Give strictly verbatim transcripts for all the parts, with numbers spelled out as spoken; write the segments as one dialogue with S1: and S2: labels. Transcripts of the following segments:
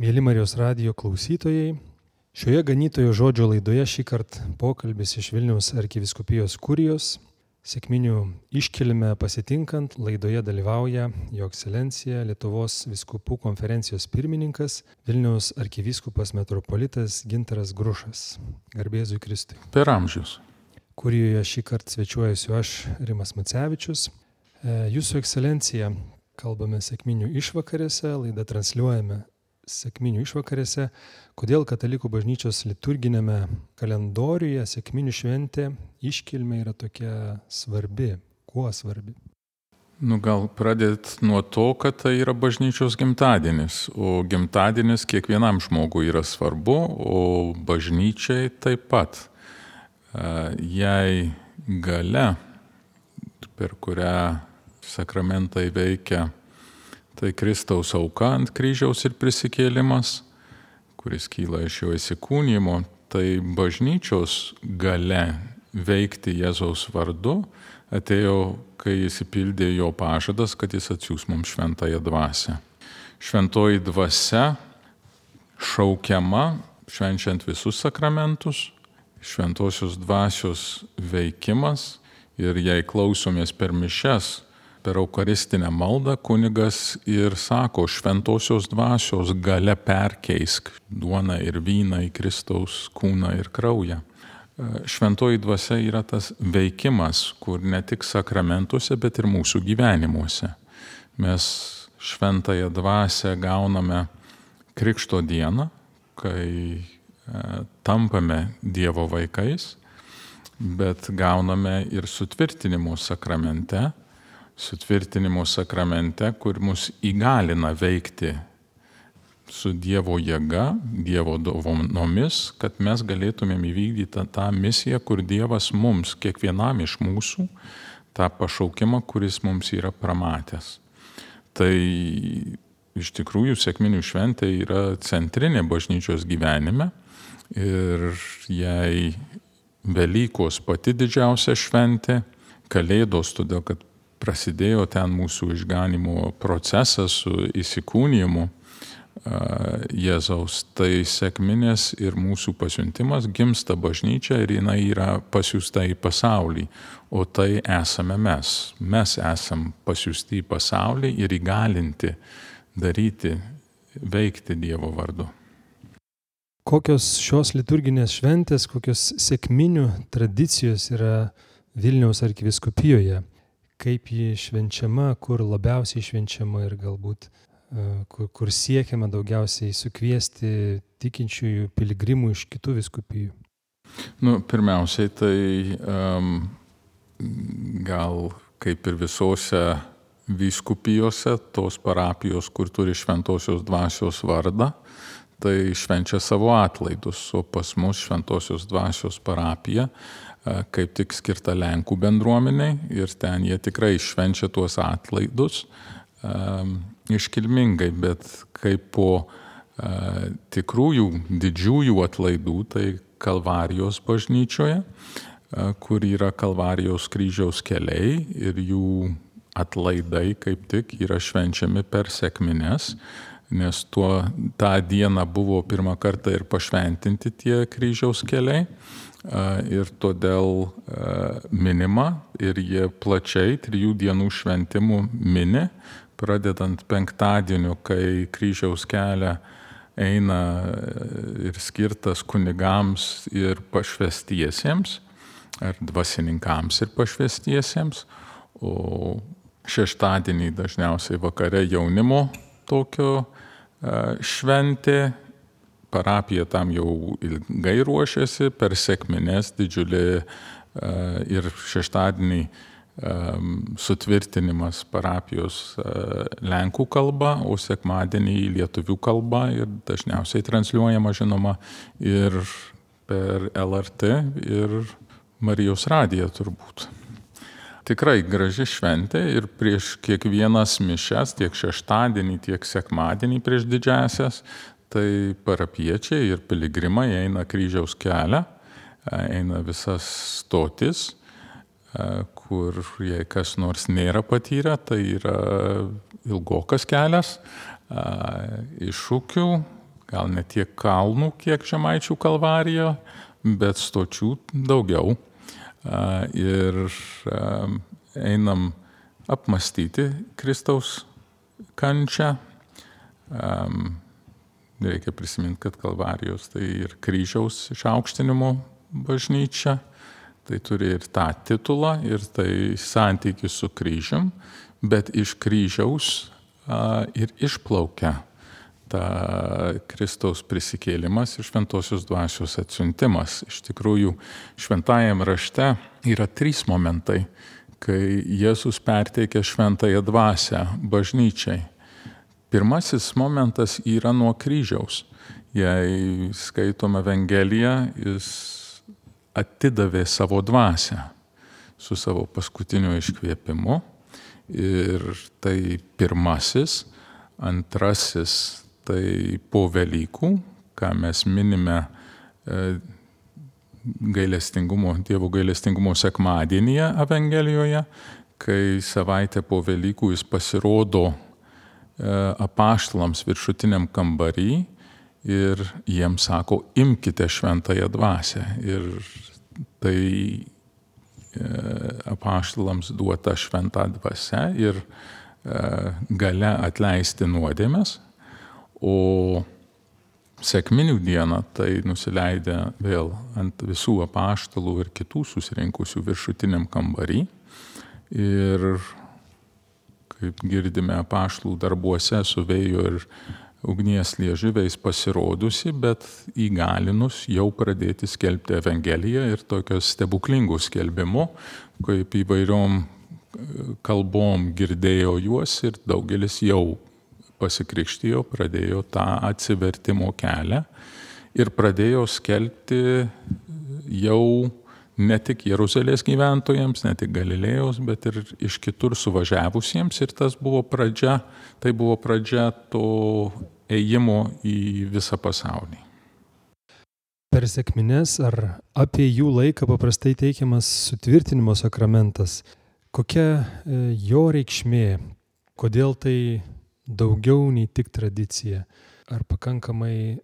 S1: Mėly Marijos radijo klausytojai, šioje ganytojo žodžio laidoje šį kartą pokalbis iš Vilniaus arkivyskupijos kurijos. Sekminių iškilmę pasitinkant laidoje dalyvauja Jo Ekscelencija Lietuvos vyskupų konferencijos pirmininkas Vilniaus arkivyskupas metropolitas Gintaras Grušas. Garbė Jėzui Kristui.
S2: Per amžius.
S1: Kurijoje šį kartą svečiuojuosi aš, Rimas Macevičius. Jūsų Ekscelencija, kalbame sekminių išvakarėse, laidą transliuojame sekminių išvakarėse. Kodėl katalikų bažnyčios liturginėme kalendoriuje sekminių šventė iškilmė yra tokia svarbi? Kuo svarbi?
S2: Nu, gal pradėt nuo to, kad tai yra bažnyčios gimtadienis, o gimtadienis kiekvienam žmogui yra svarbu, o bažnyčiai taip pat. Jei galia, per kurią sakramentai veikia, tai Kristaus auka ant kryžiaus ir prisikėlimas, kuris kyla iš jo įsikūnijimo, tai bažnyčios galia veikti Jėzaus vardu atėjo, kai įsipildė jo pažadas, kad jis atsiųs mums šventąją dvasią. Šventoji dvasia šaukiama švenčiant visus sakramentus, šventosios dvasios veikimas, ir jei klausomės per mišias, per eucharistinę maldą kunigas ir sako, šventosios dvasios galia perkeisk duoną ir vyną į Kristaus kūną ir kraują. Šventoji dvasia yra tas veikimas, kur ne tik sakramentuose, bet ir mūsų gyvenimuose. Mes šventąją dvasią gauname Krikšto dieną, kai tampame Dievo vaikais, bet gauname ir sutvirtinimo sakramente, sutvirtinimo sakramente, kur mus įgalina veikti su Dievo jėga, Dievo dovanomis, kad mes galėtumėm įvykdyti tą misiją, kur Dievas mums, kiekvienam iš mūsų, tą pašaukimą, kuris mums yra pramatęs. Tai iš tikrųjų sekminių šventė yra centrinė bažnyčios gyvenime ir jei Velykos pati didžiausia šventė, Kalėdos, todėl kad prasidėjo ten mūsų išganimo procesas su įsikūnijimu Jėzaus, tai sekminės ir mūsų pasiuntimas gimsta bažnyčia ir jinai yra pasiųsta į pasaulį, o tai esame mes. Mes esam pasiųsti į pasaulį ir įgalinti daryti, veikti Dievo vardu.
S1: Kokios šios liturginės šventės, kokios sekminių tradicijos yra Vilniaus arkivyskupijoje? Kaip ji švenčiama, kur labiausiai švenčiama ir galbūt kur, kur siekiama daugiausiai sukviesti tikinčiųjų piligrimų iš kitų vyskupijų?
S2: Nu, pirmiausiai, tai um, gal kaip ir visose vyskupijose, tos parapijos, kur turi šventosios dvasios vardą, tai švenčia savo atlaidus, o pas mus šventosios dvasios parapija kaip tik skirta Lenkų bendruomeniai ir ten jie tikrai švenčia tuos atlaidus um, iškilmingai, bet kaip po uh, tikrųjų didžiųjų atlaidų, tai Kalvarijos bažnyčioje, uh, kur yra Kalvarijos kryžiaus keliai ir jų atlaidai kaip tik yra švenčiami per sekmines, nes tuo, tą dieną buvo pirmą kartą ir pašventinti tie kryžiaus keliai. Ir todėl minima ir jie plačiai trijų dienų šventimų mini, pradedant penktadieniu, kai kryžiaus kelią eina ir skirtas kunigams ir pašvęstiesiems, ar dvasininkams ir pašvęstiesiems, o šeštadienį dažniausiai vakare jaunimo tokio šventė. Parapija tam jau ilgai ruošiasi, per sekmines didžiulį ir šeštadienį sutvirtinimas parapijos lenkų kalba, o sekmadienį lietuvių kalba ir dažniausiai transliuojama, žinoma, ir per L R T ir Marijos radiją turbūt. Tikrai graži šventė ir prieš kiekvienas mišias, tiek šeštadienį, tiek sekmadienį prieš didžiąsias, tai parapiečiai ir piligrimai eina kryžiaus kelią, eina visas stotis, kur jei kas nors nėra patyrę, tai yra ilgokas kelias, iš Šukių gal ne tiek kalnų, kiek Žemaičių kalvarija, bet stočių daugiau. Ir einam apmastyti Kristaus kančią. Reikia prisiminti, kad kalvarijos tai ir kryžiaus išaukštinimo bažnyčia. Tai turi ir tą titulą, ir tai santykis su kryžium, bet iš kryžiaus a, ir išplaukia ta Kristaus prisikėlimas ir šventosios dvasios atsiuntimas. Iš tikrųjų, šventajam rašte yra trys momentai, kai Jėzus perteikia šventąją dvasią bažnyčiai. Pirmasis momentas yra nuo kryžiaus. Jei skaitome Evangeliją, jis atidavė savo dvasią su savo paskutiniu iškvėpimu. Ir tai pirmasis. Antrasis tai po Velykų, ką mes minime gailestingumo, Dievo gailestingumo sekmadienyje Evangelijoje, kai savaitę po Velykų jis pasirodo apaštalams viršutiniam kambarį ir jiems sako, imkite šventąją dvasią. Ir tai apaštalams duota šventa dvasia ir galia atleisti nuodėmes. O sekminių dieną tai nusileidę vėl ant visų apaštalų ir kitų susirinkusių viršutiniam kambarį. Ir kaip girdime apaštalų darbuose su vėjo ir ugnies liežuviais pasirodusi, bet įgalinus jau pradėti skelbti Evangeliją ir tokios stebuklingų skelbimų, kaip įvairiom kalbom girdėjo juos ir daugelis jau pasikrikštijo, pradėjo tą atsivertimo kelią ir pradėjo skelbti jau ne tik Jeruzalės gyventojams, ne tik Galilėjos, bet ir iš kitur suvažiavusiems. Ir tas buvo pradžia, tai buvo pradžia to ėjimo į visą pasaulį.
S1: Per sekmines ar apie jų laiką paprastai teikiamas sutvirtinimo sakramentas. Kokia jo reikšmė? Kodėl tai daugiau nei tik tradicija? Ar pakankamai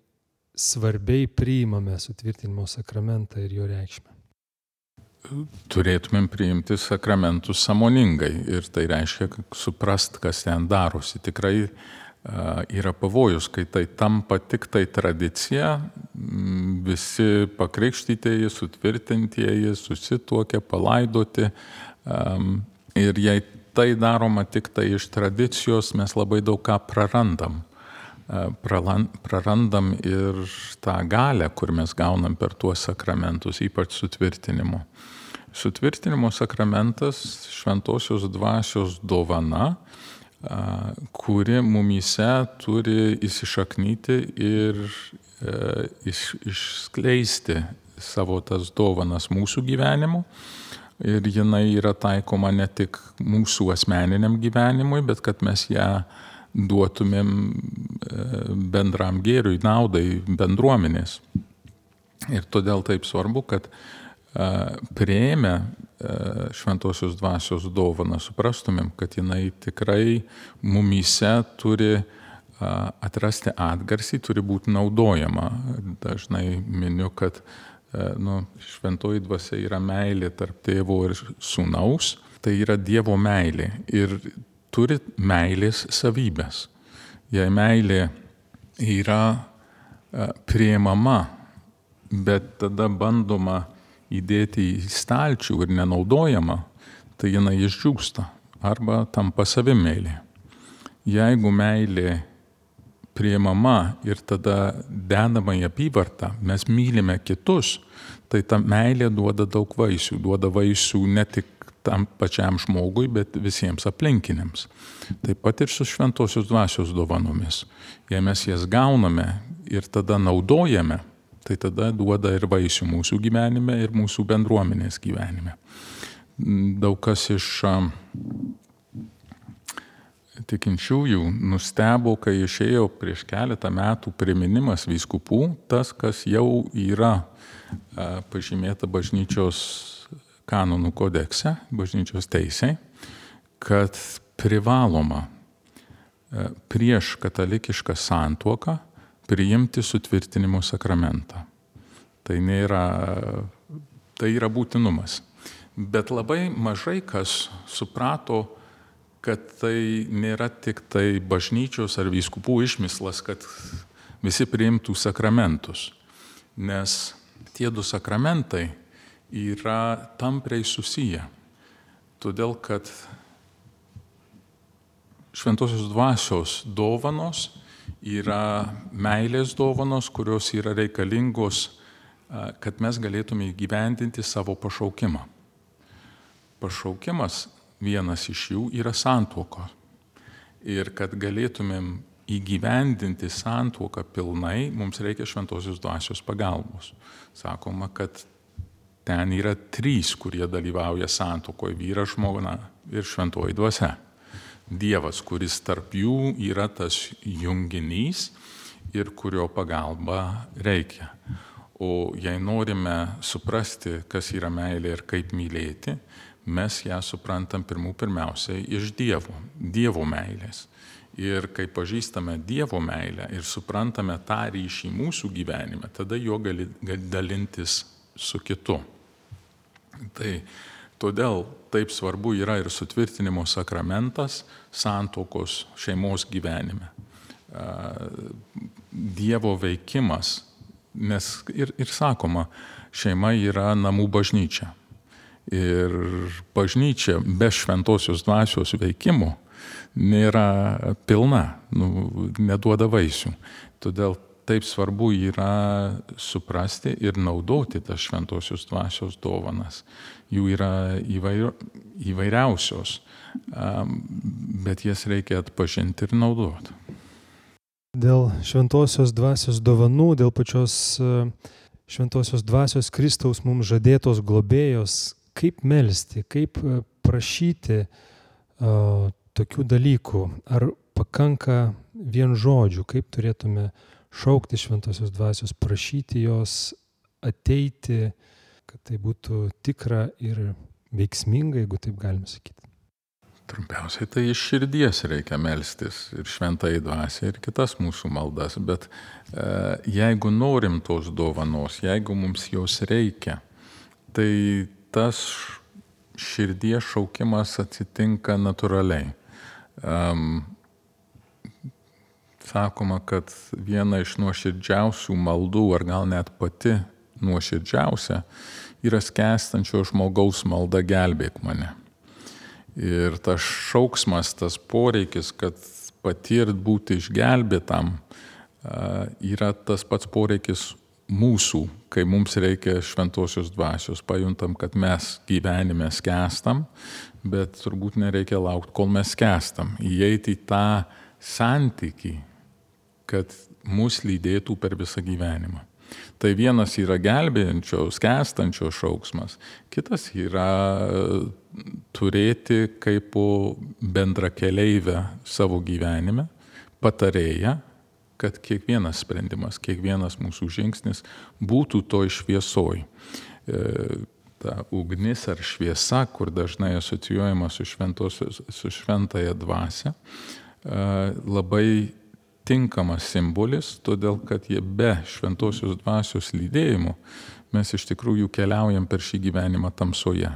S1: svarbiai priimame sutvirtinimo sakramentą ir jo reikšmę?
S2: Turėtumėm priimti sakramentus sąmoningai ir tai reiškia suprast, kas ten darosi. Tikrai uh, yra pavojus, kai tai tampa tik tai tradicija, visi pakrikštytieji, sutvirtintieji, susituokia, palaidoti. Um, ir jei tai daroma tik tai iš tradicijos, mes labai daug ką prarandam. Uh, prarandam ir tą galią, kur mes gaunam per tuos sakramentus, ypač sutvirtinimo. Sutvirtinimo sakramentas šventosios dvasios dovana, kuri mumyse turi įsišaknyti ir iš, išskleisti savo tas dovanas mūsų gyvenimu. Ir jinai yra taikoma ne tik mūsų asmeniniam gyvenimui, bet kad mes ją duotumėm bendram gėriui, naudai bendruomenės. Ir todėl taip svarbu, kad priėmę šventosios dvasios dovaną suprastumėm, kad jinai tikrai mumyse turi atrasti atgarsį, turi būti naudojama. Dažnai miniu, kad nu, šventoji dvasia yra meilė tarp tėvo ir sūnaus, tai yra Dievo meilė ir turi meilės savybės. Jei meilė yra priimama, bet tada bandoma įdėti į stalčių ir nenaudojama, tai jinai išdžiūsta arba tampa savimeilė. Jeigu meilė priimama ir tada dedama į apyvartą, mes mylime kitus, tai ta meilė duoda daug vaisių, duoda vaisių ne tik tam pačiam žmogui, bet visiems aplinkiniams. Taip pat ir su šventosios dvasios dovanomis. Jei mes jas gauname ir tada naudojame, tai tada duoda ir vaisių mūsų gyvenime ir mūsų bendruomenės gyvenime. Daug kas iš tikinčiųjų nustebo, kai išėjo prieš keletą metų priminimas vyskupų, tas, kas jau yra pažymėta bažnyčios kanonų kodekse, bažnyčios teisė, kad privaloma prieš katalikišką santuoką priimti sutvirtinimo sakramentą. Tai, nėra, tai yra būtinumas. Bet labai mažai kas suprato, kad tai nėra tik tai bažnyčios ar vyskupų išmislas, kad visi priimtų sakramentus. Nes tie du sakramentai yra tampriai susiję. Todėl, kad šventosios dvasios dovanos yra meilės dovanos, kurios yra reikalingos, kad mes galėtume įgyvendinti savo pašaukimą. Pašaukimas vienas iš jų yra santuoka. Ir kad galėtumėm įgyvendinti santuoką pilnai, mums reikia šventosios dvasios pagalbos. Sakoma, kad ten yra trys, kurie dalyvauja santuokoje - vyras, žmona ir šventoji dvasia. Dievas, kuris tarp jų yra tas junginys ir kurio pagalba reikia. O jei norime suprasti, kas yra meilė ir kaip mylėti, mes ją suprantam pirmų pirmiausiai iš Dievo, Dievo meilės. Ir kai pažįstame Dievo meilę ir suprantame tą ryšį mūsų gyvenime, tada jo gali, gali dalintis su kitu. Tai todėl taip svarbu yra ir sutvirtinimo sakramentas santuokos šeimos gyvenime. Dievo veikimas, nes ir, ir sakoma, šeima yra namų bažnyčia. Ir bažnyčia be šventosios dvasios veikimo nėra pilna, nu, neduoda vaisių. Todėl taip svarbu yra suprasti ir naudoti tas šventosios dvasios dovanas. Jų yra įvair, įvairiausios, bet jas reikia atpažinti ir naudoti.
S1: Dėl šventosios dvasios dovanų, dėl pačios šventosios dvasios Kristaus mums žadėtos globėjos, kaip melsti, kaip prašyti uh, tokių dalykų, ar pakanka vien žodžių, kaip turėtume šaukti šventosios dvasios, prašyti jos ateiti, kad tai būtų tikra ir veiksminga, jeigu taip galime sakyti.
S2: Trumpiausiai tai iš širdies reikia melstis ir šventai dvasiai ir kitas mūsų maldas, bet e, jeigu norim tos dovanos, jeigu mums jos reikia, tai tas širdies šaukimas atsitinka natūraliai. Um, sakoma, kad viena iš nuoširdžiausių maldų, ar gal net pati nuoširdžiausia, yra skęstančio žmogaus malda gelbėk mane. Ir tas šauksmas, tas poreikis, kad patirt būti išgelbėtam, yra tas pats poreikis mūsų, kai mums reikia šventosios dvasios. Pajuntam, kad mes gyvenime skęstam, bet turbūt nereikia laukti, kol mes skęstam. Įeiti į tą santykį, kad mus lydėtų per visą gyvenimą. Tai vienas yra gelbėjančio, skęstančio šauksmas, kitas yra turėti kaip bendrakeleivę savo gyvenime, patarėją, kad kiekvienas sprendimas, kiekvienas mūsų žingsnis būtų toj šviesoj. Ta ugnis ar šviesa, kur dažnai asocijuojama su, su šventąja dvasia, labai tinkamas simbolis, todėl kad jie be šventosios dvasios lydėjimo mes iš tikrųjų keliaujam per šį gyvenimą tamsoje.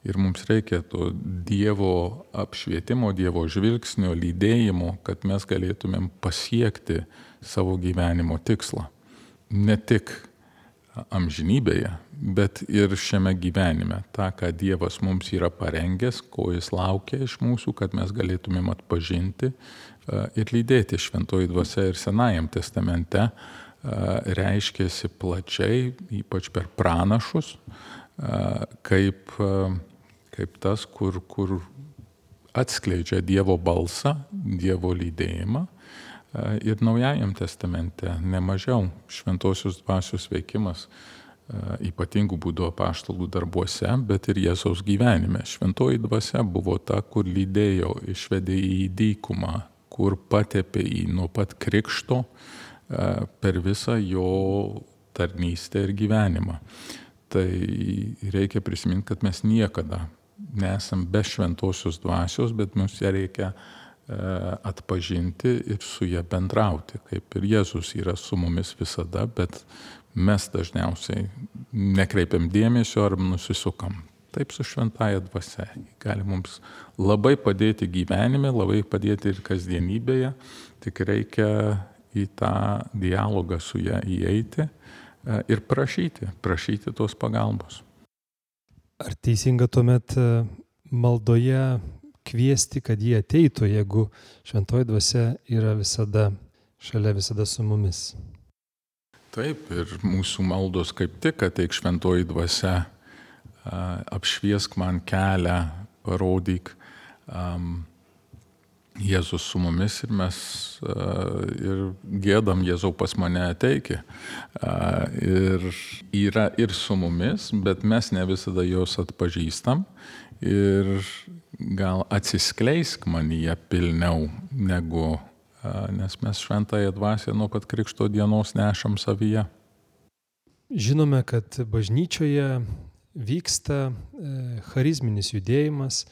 S2: Ir mums reikia to Dievo apšvietimo, Dievo žvilgsnio, lydėjimo, kad mes galėtumėm pasiekti savo gyvenimo tikslą. Ne tik amžinybėje, bet ir šiame gyvenime. Ta, ką Dievas mums yra parengęs, ko jis laukia iš mūsų, kad mes galėtumėm atpažinti ir lydėti. Šventoji dvasia ir Senajam testamente reiškėsi plačiai, ypač per pranašus, kaip, kaip tas, kur, kur atskleidžia Dievo balsą, Dievo lydėjimą. Ir Naujajam testamente nemažiau šventosios dvasios veikimas ypatingų būdų apaštalų darbuose, bet ir Jėzaus gyvenime. Šventoji dvasia buvo ta, kur lydėjo, išvedė į dykumą, kur patepė į nuo pat krikšto per visą jo tarnystę ir gyvenimą. Tai reikia prisiminti, kad mes niekada nesam be šventosios dvasios, bet mums ją reikia atpažinti ir su ja bendrauti, kaip ir Jėzus yra su mumis visada, bet mes dažniausiai nekreipiam dėmesio ar nusisukam. Taip su šventąja dvasia. Gali mums labai padėti gyvenime, labai padėti ir kasdienybėje, tik reikia į tą dialogą su ja įeiti ir prašyti, prašyti tos pagalbos.
S1: Ar teisinga tuomet maldoje kviesti, kad jie ateitų, jeigu šventoji dvasia yra visada šalia, visada su mumis?
S2: Taip, ir mūsų maldos kaip tik ateik šventoji dvasia, apšviesk man kelią, parodyk. Jėzus su mumis ir mes ir gėdam Jėzau pas mane ateiki. Ir yra ir su mumis, bet mes ne visada jos atpažįstam ir gal atsiskleisk manyje pilniau negu, nes mes šventąją dvasią nuo pat Krikšto dienos nešam savyje.
S1: Žinome, kad bažnyčioje vyksta charizminis judėjimas.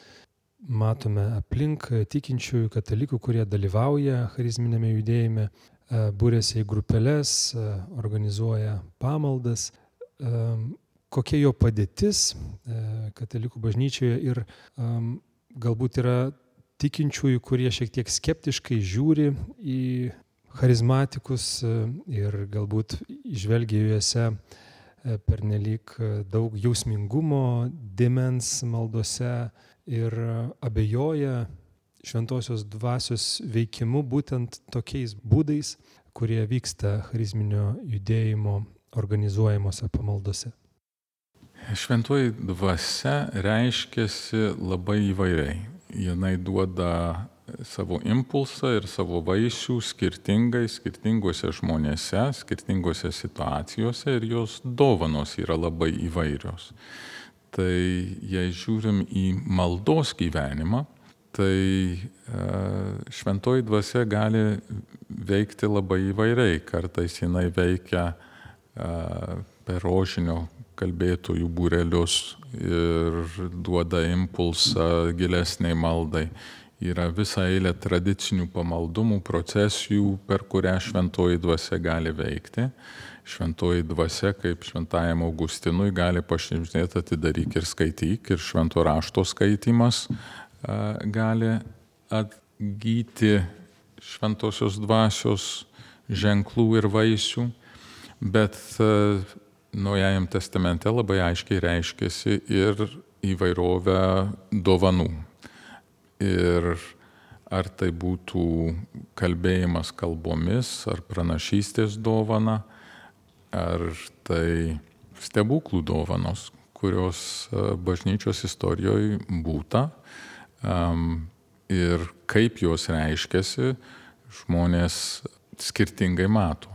S1: Matome aplink tikinčiųjų katalikų, kurie dalyvauja charizminėme judėjime, būrėsi į grupeles, organizuoja pamaldas. Kokia jo padėtis katalikų bažnyčioje ir galbūt yra tikinčiųjų, kurie šiek tiek skeptiškai žiūri į charizmatikus ir galbūt įžvelgia juose pernelyg daug jausmingumo dėmens maldose ir abejoja šventosios dvasios veikimu būtent tokiais būdais, kurie vyksta charizminio judėjimo organizuojamuose pamaldose.
S2: Šventoji dvasia reiškiasi labai įvairiai. Jinai duoda savo impulsą ir savo vaisių skirtingai, skirtingose žmonėse, skirtingose situacijose ir jos dovanos yra labai įvairios. Tai jei žiūrim į maldos gyvenimą, tai šventoji dvasia gali veikti labai įvairiai. Kartais jinai veikia per rožinio kalbėtojų būrelius ir duoda impulsą gilesniai maldai. Yra visa eilė tradicinių pamaldumų, procesijų, per kurią šventoji dvasia gali veikti. Šventoji dvasia, kaip šventajam Augustinui, gali pašnibždėti atidaryk ir skaityk, ir švento rašto skaitymas gali atgyti šventosios dvasios ženklų ir vaisių, bet Naujajam testamente labai aiškiai reiškiasi ir įvairovė dovanų. Ir ar tai būtų kalbėjimas kalbomis, ar pranašystės dovana, ar tai stebuklų dovanos, kurios bažnyčios istorijoje būta ir kaip jos reiškiasi, žmonės skirtingai mato.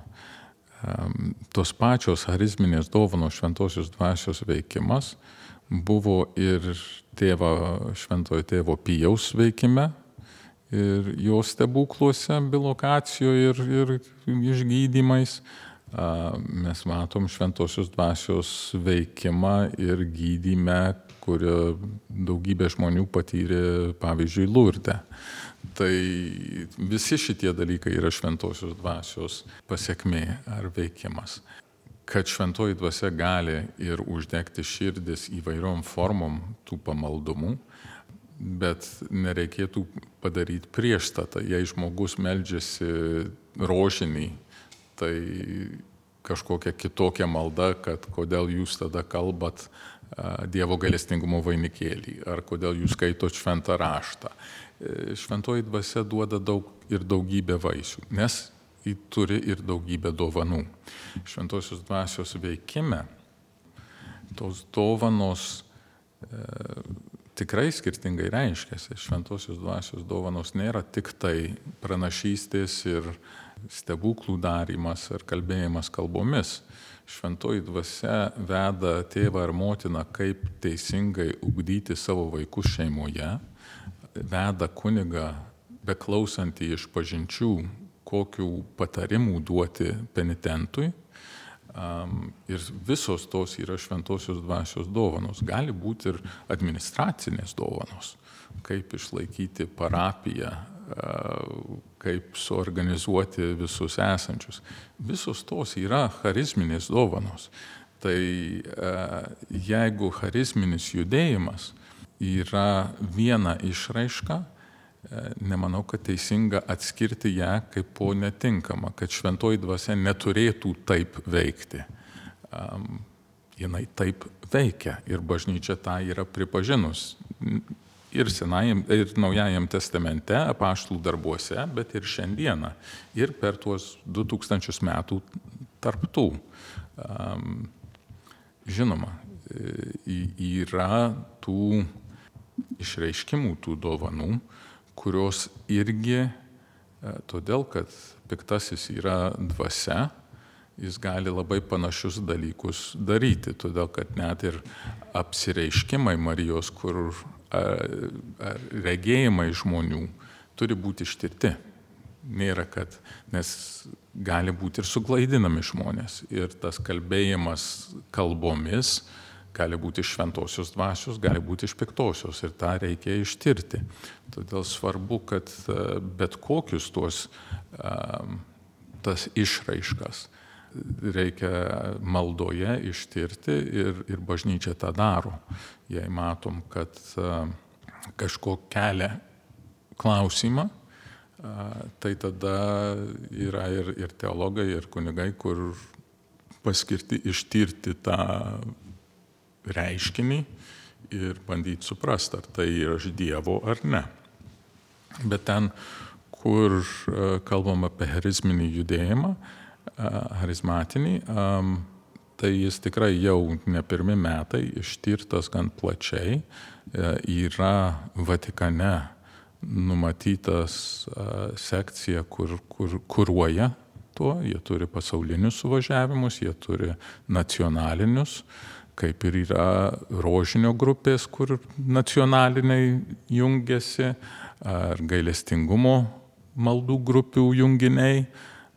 S2: Tos pačios charizminės dovanos šventosios dvasios veikimas buvo ir tėvo, šventojo tėvo Pijaus veikime, ir jo stebukluose, bilokacijoje ir, ir išgydymais. Mes matom šventosios dvasios veikimą ir gydyme, kurio daugybė žmonių patyrė, pavyzdžiui, Lurde. Tai visi šitie dalykai yra šventosios dvasios pasekmė ar veikimas. Kad šventoji dvasia gali ir uždegti širdis įvairiom formom tų pamaldumų, bet nereikėtų padaryti priešstatą. Jei žmogus meldžiasi rožinį, tai kažkokia kitokia malda, kad kodėl jūs tada kalbat Dievo gailestingumo vainikėlį, ar kodėl jūs skaitot šventą raštą. Šventoji dvasia duoda daug ir daugybę vaisių, nes ji turi ir daugybę dovanų. Šventosios dvasios veikime tos dovanos e, tikrai skirtingai reiškiasi. Šventosios dvasios dovanos nėra tik tai pranašystės ir stebuklų darymas ar kalbėjimas kalbomis. Šventoji dvasia veda tėvą ar motiną, kaip teisingai ugdyti savo vaikus šeimoje, veda kunigą beklausantį iš pažinčių, kokių patarimų duoti penitentui. Ir visos tos yra šventosios dvasios dovanos. Gali būti ir administracinės dovanos, kaip išlaikyti parapiją kaip suorganizuoti visus esančius. Visos tos yra charizminės dovanos. Tai jeigu charizminis judėjimas yra viena išraiška, nemanau, kad teisinga atskirti ją kaip po netinkama, kad šventoji dvasia neturėtų taip veikti. Jinai taip veikia ir bažnyčia tą yra pripažinus. Ir senajam, ir naujajam testamente, apaštalų darbuose, bet ir šiandieną. Ir per tuos du tūkstančius metų tarp tų. Žinoma, yra tų išreiškimų, tų dovanų, kurios irgi, todėl kad piktasis yra dvasia, jis gali labai panašius dalykus daryti, todėl kad net ir apsireiškimai Marijos, kur regėjimai žmonių turi būti ištirti. Nėra, kad, nes gali būti ir suklaidinami žmonės. Ir tas kalbėjimas kalbomis gali būti iš šventosios dvasios, gali būti iš piktosios. Ir tą reikia ištirti. Todėl svarbu, kad bet kokius tuos tas išraiškas reikia maldoje ištirti ir, ir bažnyčia tą daro. Jei matom, kad kažko kelia klausimą, tai tada yra ir, ir teologai, ir kunigai, kur paskirti ištirti tą reiškinį ir bandyti suprasti, ar tai yra iš Dievo ar ne. Bet ten, kur kalbam apie charizminį judėjimą, charizmatinį, tai jis tikrai jau ne pirmi metai ištirtas gan plačiai. Yra Vatikane numatytas sekcija, kur, kur kuruoja tuo, jie turi pasaulinius suvažiavimus, jie turi nacionalinius, kaip ir yra rožinio grupės, kur nacionaliniai jungiasi, ar gailestingumo maldų grupių junginiai.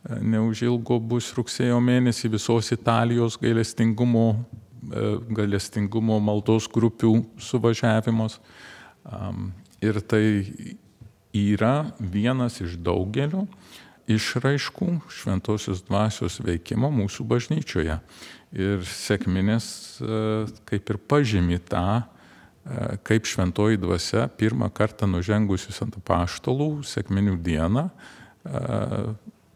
S2: Neužilgo bus rugsėjo mėnesį visos Italijos gailestingumo, gailestingumo maldos grupių suvažiavimas. Ir tai yra vienas iš daugelio išraiškų šventosios dvasios veikimo mūsų bažnyčioje. Ir sekminės kaip ir pažymi tą, kaip šventoji dvasia pirmą kartą nužengusius ant apaštalų sekminių dieną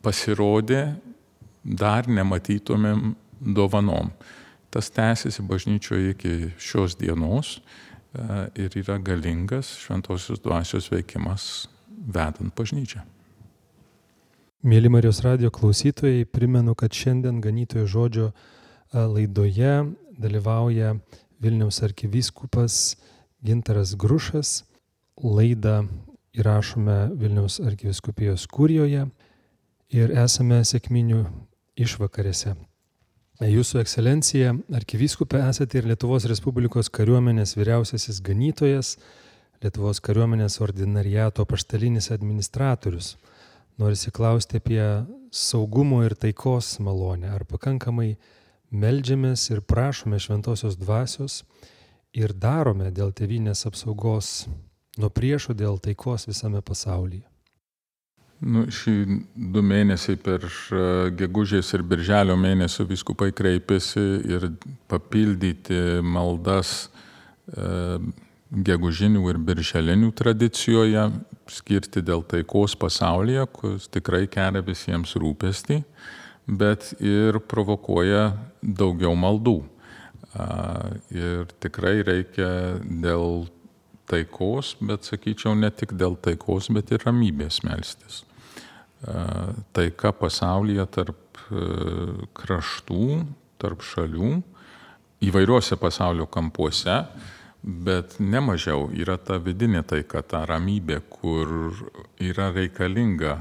S2: pasirodė dar nematytomėm dovanom. Tas tęsiasi bažnyčioje iki šios dienos ir yra galingas šventosios dvasios veikimas vedant bažnyčią.
S1: Mėly Marijos radijo klausytojai, primenu, kad šiandien Ganytojo žodžio laidoje dalyvauja Vilniaus arkivyskupas Gintaras Grušas. Laidą įrašome Vilniaus arkivyskupijos kurijoje ir esame sekminių išvakarėse. Jūsų ekscelencija, arkivyskupė, esate ir Lietuvos Respublikos kariuomenės vyriausiasis ganytojas, Lietuvos kariuomenės ordinariato apaštalinis administratorius. Norisi klausti apie saugumo ir taikos malonę. Ar pakankamai meldžiamės ir prašome šventosios dvasios ir darome dėl tėvynės apsaugos nuo priešų, dėl taikos visame pasaulyje?
S2: Nu, šį du mėnesiai per gegužės ir birželio mėnesio vyskupai kreipėsi ir papildyti maldas e, gegužinių ir birželinių tradicijoje, skirti dėl taikos pasaulyje, kuris tikrai kelia visiems rūpestį, bet ir provokuoja daugiau maldų. A, ir tikrai reikia dėl taikos, bet sakyčiau ne tik dėl taikos, bet ir ramybės melstis. Taika pasaulyje tarp kraštų, tarp šalių, įvairiuose pasaulio kampuose, bet nemažiau yra ta vidinė taika, ta ramybė, kur yra reikalinga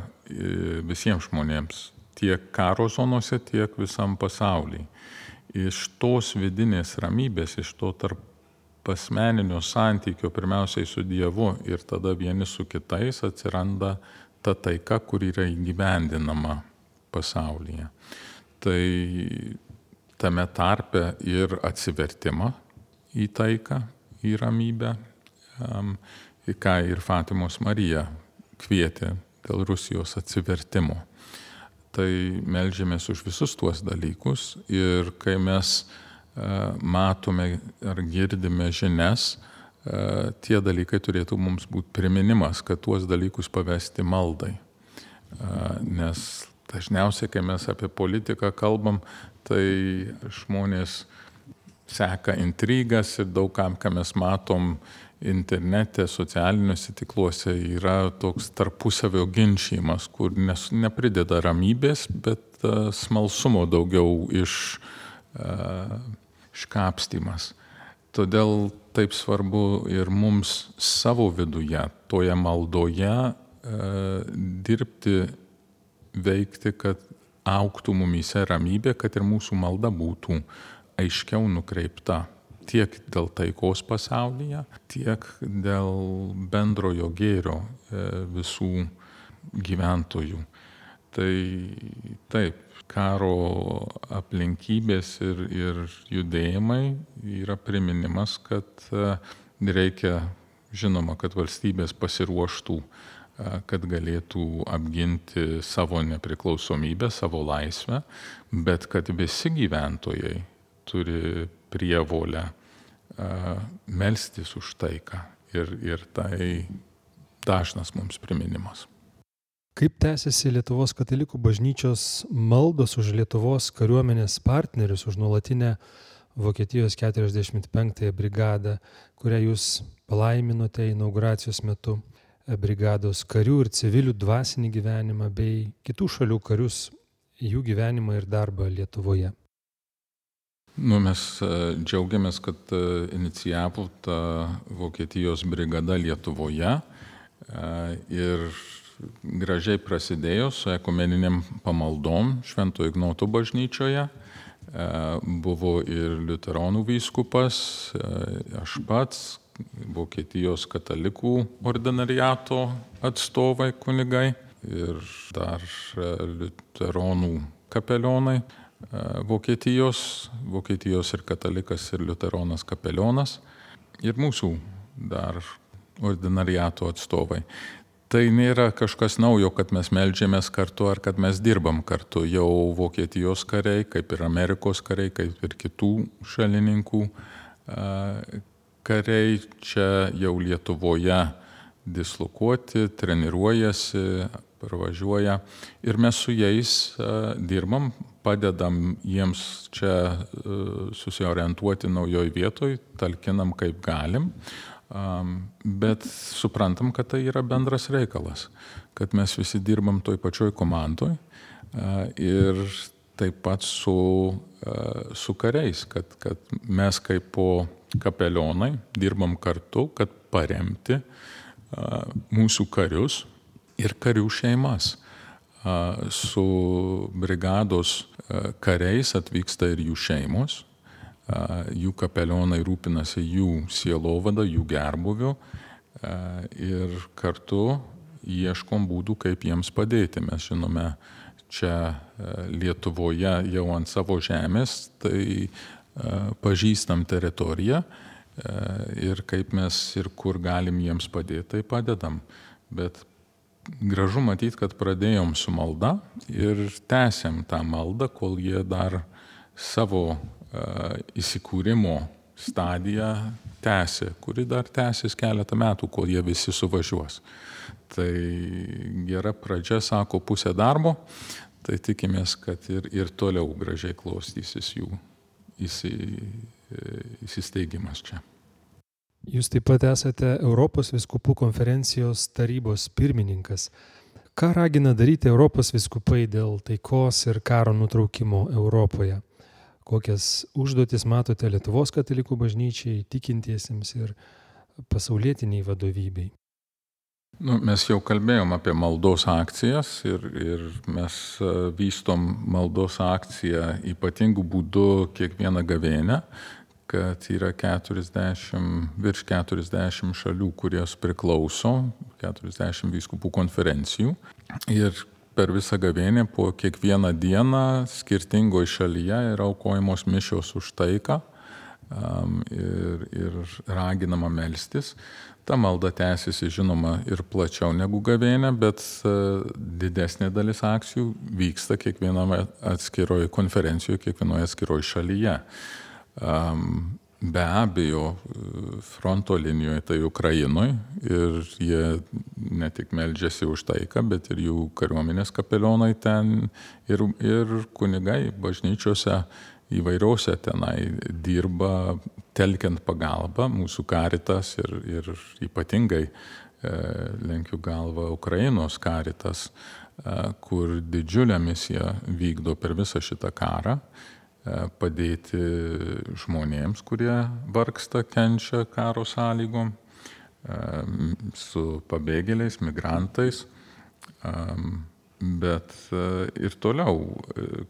S2: visiems žmonėms, tiek karo zonose, tiek visam pasaulyje. Iš tos vidinės ramybės, iš to tarp asmeninio santykio pirmiausiai su Dievu ir tada vieni su kitais atsiranda ta taika, kur yra įgyvendinama pasaulyje. Tai tame tarpe ir atsivertimą į taiką, į ramybę, į ką ir Fatimos Marija kvietė dėl Rusijos atsivertimo. Tai meldžiamės už visus tuos dalykus ir kai mes matome ar girdime žinias, tie dalykai turėtų mums būti priminimas, kad tuos dalykus pavesti maldai. Nes dažniausiai, kai mes apie politiką kalbam, tai žmonės seka intrigas ir daug kam, ką mes matom internete, socialiniuose tikluose, yra toks tarpusavio ginčijimas, kur nes, neprideda ramybės, bet uh, smalsumo daugiau iš, uh, iškapstymas. Todėl taip svarbu ir mums savo viduje, toje maldoje uh, dirbti, veikti, kad augtų mumyse ramybė, kad ir mūsų malda būtų aiškiau nukreipta tiek dėl taikos pasaulyje, tiek dėl bendrojo gėrio visų gyventojų. Tai taip, karo aplinkybės ir, ir judėjimai yra priminimas, kad reikia, žinoma, kad valstybės pasiruoštų, kad galėtų apginti savo nepriklausomybę, savo laisvę, bet kad visi gyventojai turi prievolę melstis už taiką ir, ir tai dažnas mums priminimas.
S1: Kaip tęsiasi Lietuvos katalikų bažnyčios maldos už Lietuvos kariuomenės partnerius, už nuolatinę Vokietijos keturiasdešimt penktąją brigadą, kurią jūs palaiminote inauguracijos metu, brigados karių ir civilių dvasinį gyvenimą bei kitų šalių karius, jų gyvenimą ir darbą Lietuvoje?
S2: Nu, mes džiaugiamės, kad inicijavo ta Vokietijos brigada Lietuvoje ir gražiai prasidėjo su ekumeniniam pamaldom Švento Ignoto bažnyčioje. Buvo ir liuteronų vyskupas, aš pats, Vokietijos katalikų ordinariato atstovai kunigai ir dar liuteronų kapelionai. Vokietijos, Vokietijos ir katalikas ir liuteronas kapelionas ir mūsų dar ordinariato atstovai. Tai nėra kažkas naujo, kad mes meldžiamės kartu ar kad mes dirbam kartu. Jau Vokietijos kariai, kaip ir Amerikos kariai, kaip ir kitų šalininkų kariai čia jau Lietuvoje dislokuoti, treniruojasi, pravažiuoja ir mes su jais dirbam, padedam jiems čia susiorientuoti naujoj vietoj, talkinam kaip galim, bet suprantam, kad tai yra bendras reikalas, kad mes visi dirbam toj pačioj komandoj ir taip pat su, su kariais, kad, kad mes kaip po kapelionai dirbam kartu, kad paremti mūsų karius ir karių šeimas. Su brigados kariais atvyksta ir jų šeimos, jų kapelionai rūpinasi jų sielovada, jų gerbuviu ir kartu ieškom būdų, kaip jiems padėti. Mes žinome, čia Lietuvoje jau ant savo žemės, tai pažįstam teritoriją ir kaip mes ir kur galim jiems padėti, tai padedam. Bet gražu matyti, kad pradėjom su malda ir tęsiam tą maldą, kol jie dar savo uh, įsikūrimo stadiją tęsia, kuri dar tęsis keletą metų, kol jie visi suvažiuos. Tai gera pradžia, sako, pusė darbo, tai tikimės, kad ir, ir toliau gražiai klostysis jų įsi, įsisteigimas čia.
S1: Jūs taip pat esate Europos vyskupų konferencijos tarybos pirmininkas. Ką ragina daryti Europos vyskupai dėl taikos ir karo nutraukimo Europoje? Kokias užduotis matote Lietuvos katalikų bažnyčiai, tikintiesiems ir pasaulietiniai vadovybei?
S2: Nu, mes jau kalbėjom apie maldos akcijas ir, ir mes vystom maldos akciją ypatingų būdų kiekvieną gavėnią, kad yra keturiasdešimt, virš keturiasdešimt šalių, kurios priklauso, keturiasdešimt vyskupų konferencijų. Ir per visą gavėnią po kiekvieną dieną skirtingoje šalyje yra aukojamos mišios už taiką, ir, ir raginama melstis. Ta malda tęsiasi, žinoma, ir plačiau negu gavėnia, bet didesnė dalis akcijų vyksta kiekvienoje atskiroje konferencijoje, kiekvienoje atskiroje šalyje. Be abejo, fronto linijoje tai Ukrainoje ir jie ne tik meldžiasi už taiką, bet ir jų kariuomenės kapelionai ten ir, ir kunigai bažnyčiose įvairiausia tenai dirba, telkiant pagalbą, mūsų Caritas ir, ir ypatingai e, lenkiu galvą Ukrainos Caritas, e, kur didžiulę misiją vykdo per visą šitą karą, padėti žmonėms, kurie vargsta, kenčia karo sąlygom, su pabėgėliais, migrantais, bet ir toliau,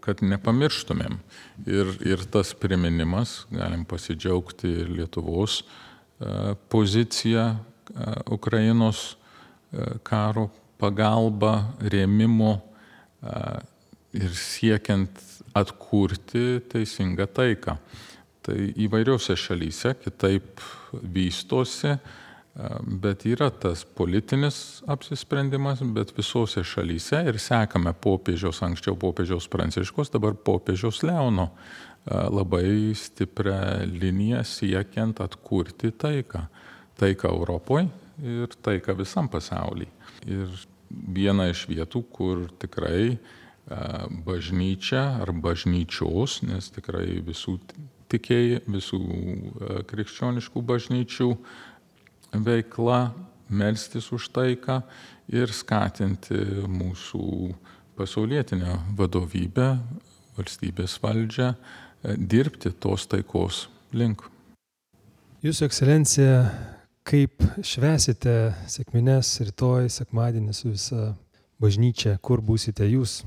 S2: kad nepamirštumėm. Ir, ir tas priminimas, galim pasidžiaugti Lietuvos poziciją Ukrainos karo pagalba, rėmimo ir siekiant atkurti teisingą taiką. Tai įvairiose šalyse kitaip vystosi, bet yra tas politinis apsisprendimas, bet visose šalyse ir sekame popiežiaus, anksčiau popiežiaus Pranciškaus, dabar popiežiaus Leono labai stiprią liniją siekiant atkurti taiką. Taiką Europoje ir taiką visam pasaulyje. Ir viena iš vietų, kur tikrai bažnyčia ar bažnyčios, nes tikrai visų tikėjai, visų krikščioniškų bažnyčių veikla, melstis už taiką ir skatinti mūsų pasaulietinę vadovybę, valstybės valdžią, dirbti tos taikos link.
S1: Jūsų ekscelencija, kaip švęsite sekmines rytoj, sekmadienį su visa bažnyčia, kur būsite jūs?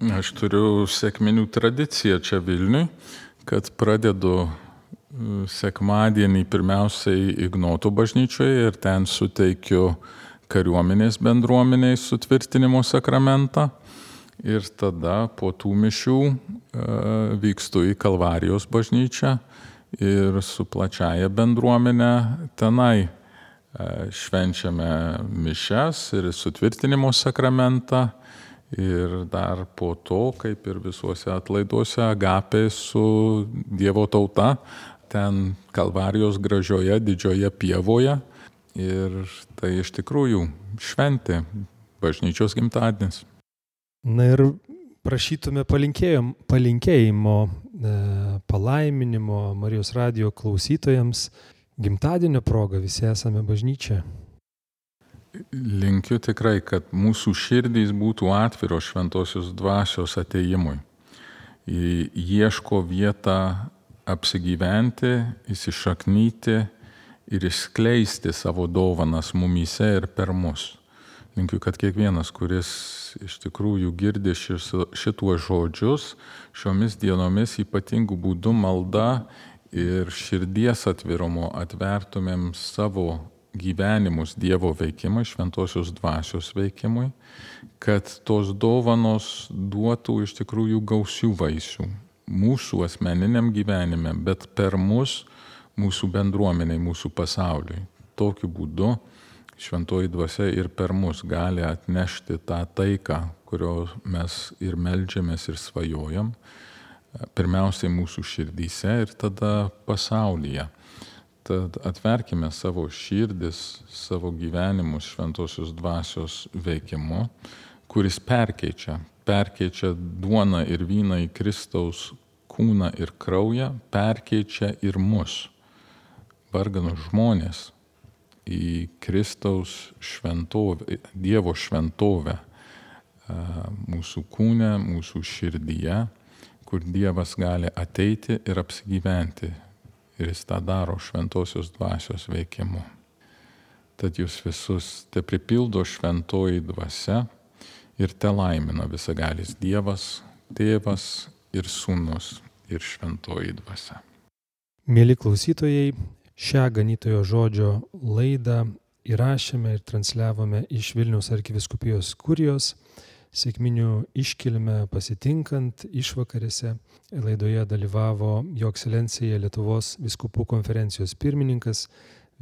S2: Aš turiu sekminių tradiciją čia Vilniui, kad pradedu sekmadienį pirmiausiai Ignoto bažnyčioje ir ten suteikiu kariuomenės bendruomeniai sutvirtinimo sakramentą. Ir tada po tų mišių vykstu į Kalvarijos bažnyčią ir su plačiaja bendruomenė tenai švenčiame mišias ir sutvirtinimo sakramentą. Ir dar po to, kaip ir visuose atlaiduose, agapė su Dievo tauta, ten Kalvarijos gražioje didžioje pievoje. Ir tai iš tikrųjų šventė, bažnyčios gimtadienis.
S1: Na ir prašytume palinkėjimo, palaiminimo Marijos radijo klausytojams. Gimtadienio proga visi esame bažnyčia.
S2: Linkiu tikrai, kad mūsų širdys būtų atviros šventosios dvasios atėjimui. Ieško vietą apsigyventi, įsišaknyti ir išskleisti savo dovanas mumyse ir per mus. Linkiu, kad kiekvienas, kuris iš tikrųjų girdi šituos žodžius, šiomis dienomis ypatingų būdų malda ir širdies atvirumo atvertumėm savo gyvenimus Dievo veikimui, šventosios dvasios veikimui, kad tos dovanos duotų iš tikrųjų gausių vaisių mūsų asmeniniam gyvenime, bet per mus, mūsų bendruomeniai, mūsų pasauliui. Tokiu būdu šventoji dvasia ir per mus gali atnešti tą taiką, kurio mes ir meldžiamės ir svajojam, pirmiausiai mūsų širdyse ir tada pasaulyje. Tad atverkime savo širdis, savo gyvenimus šventosios dvasios veikimu, kuris perkeičia, perkeičia duoną ir vyną į Kristaus kūną ir kraują, perkeičia ir mus, varganus žmonės, į Kristaus šventovę, Dievo šventovę, mūsų kūne, mūsų širdyje, kur Dievas gali ateiti ir apsigyventi. Ir jis tą daro šventosios dvasios veikimu. Tad jūs visus te pripildo šventoji dvasia ir te laimina visagalis Dievas, Tėvas ir Sūnus ir šventoji dvasia.
S1: Mieli klausytojai, šią ganytojo žodžio laidą įrašėme ir transliavome iš Vilniaus arkivyskupijos kurijos Sekminių iškilmę pasitinkant išvakarėse laidoje dalyvavo Jo ekscelencija Lietuvos vyskupų konferencijos pirmininkas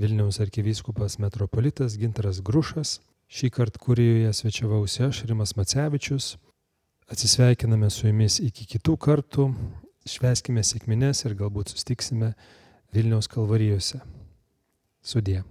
S1: Vilniaus arkivyskupas metropolitas Gintaras Grušas. Šį kartą Kurijoje svečiavausi aš, Rimas Macevičius. Atsisveikiname su jumis iki kitų kartų. Švęskime sekmines ir galbūt sustiksime Vilniaus kalvarijose. Sudie.